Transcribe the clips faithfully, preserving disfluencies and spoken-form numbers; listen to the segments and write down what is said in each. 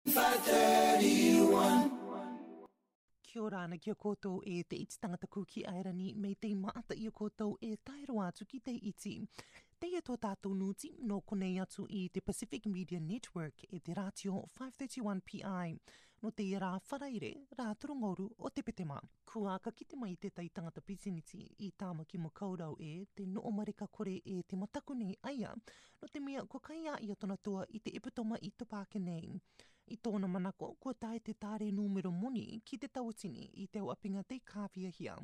Kia ora ana ki a koutou e te iti tangata kū ki Airani, me tei maata ia koutou e tae roa atu ki te iti. Teie tō tātou nūti, nō konei atu i te Pacific Media Network e te rātio five thirty-one P I. Nō teie rā Faraire, rā toru ngōru o te Petema. Kua ka kite mai te tai tangata pisinisi i Tāmaki Makaurau e te noʻo mareka kore e te mataku nei aia, nō te mea kua kai ia tona toa i te epitoma i Topake nei. I tōna manako, kua tae te tare nūmero moni ki te tauatini i te au apinga tei kāviahia.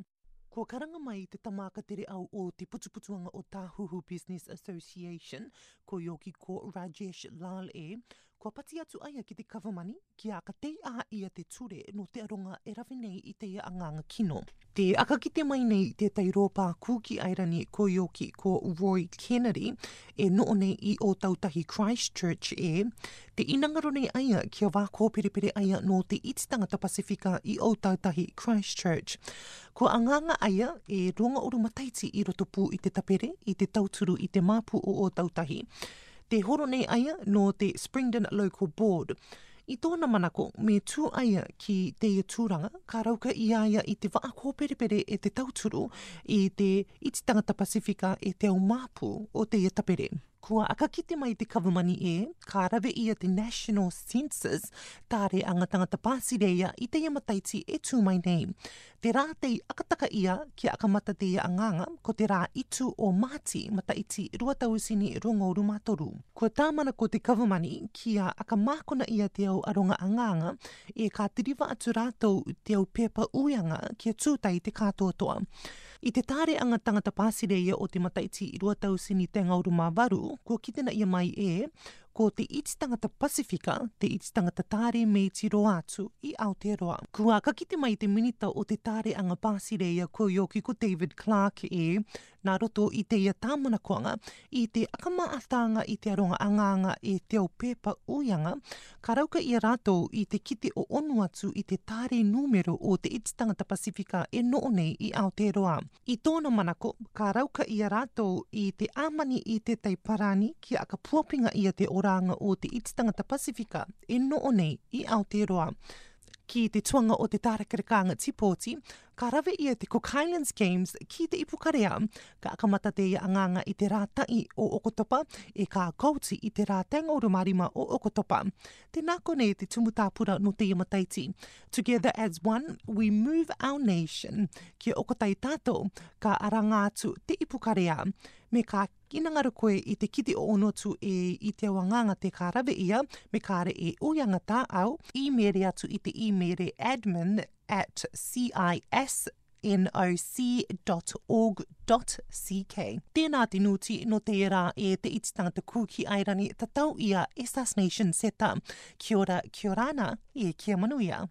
Kua karanga mai te tama ka tere au o te putuputuanga o Tāhuhu Business Association, ko Yoki ko Rajesh Lal e, kua pati atu aia ki te kavamani, kia ka tei a ia te ture nō te aronga e rave nei i teie anganga kino. Te aka kite mai nei te tai rōpā kū ki Airani ko Yoki ko Roy Kennedy, e noʻo nei i Ōtautahi Christchurch e, te inangaro nei aia kia vā kōperepere aia nō te iti tangata Pasifika i Ōtautahi Christchurch. Kua anganga aia e ronga uru mataiti i roto pū i te tapere, i te tauturu i te māpu o Ōtautahi. Te horo nei aia nō te Springdon Local Board. I tōna manako, me tū aia ki teie tūranga, ka rauka ia aia i te vā kōperepere e te tauturu i te iti tangata Pasifika e te au māpu o teie tapere. Kua aka kite mai te kavamani e, ka rave ia te National Census, tare anga tangata Pāsireia i teie mataiti e tū mai nei. Te rā tei aka taka ia kia aka mata teie anganga, ko te rā itu o Māti, mataiti rua tauatini rua ngōru mā toru. Kua tāmana ko te kavamani kia aka mākona ia te au aronga anganga, e ka tiriva atu rātou te au pepa uianga kia tūtai te kātoatoa. I te tare anga tangata Pāsireia o te mataiti rua tauatini te ngōru mā varu, kua kite na ia mai e, ko te iti tangata Pasifika, te iti tangata tare me tiro atu i Aotearoa. Kua ka kite mai te minita o te tare anga Pāsireia ko Yoki ko David Clark e, nā roto i teie tāmanakoanga, i te aka māʻatanga i te aronga anganga e te au pepa uianga, ka rauka ia rātou i te kite o ono atu i te tare nūmero o te iti tangata Pasifika e noʻo nei i Aotearoa. I tōna manako, ka rauka ia rātou i te āmani i te tai parani kia aka puapinga ia te oranga o te iti tangata Pasifika e noʻo nei i Aotearoa. Ki te tuanga o te tārekarekānga tīpōti, ka rave ia te Cook Highlands Games ki te Ipukarea, ka aka mata teie anganga i te rā tahi o Oketopa, e ka kouti i te rā te ngōru mā rima o Oketopa. Tēnā konei te tumu tāpura nō teie mataiti. Together as one, we move our nation. Kia oko tai tātou, ka aranga atu te Ipukarea. Me ka inangaro koe i te kite o ono atu e i te au anganga te ka rave ia, me ka re e uianga tā au, email atu i te email admin at cisnoc dot org dot cz. Tēnā te nūti nō teie rā e te iti tangata kū ki Airani tatau ia e Sas Nation Seta. Kia ora, kia ora ana, e kia manuia.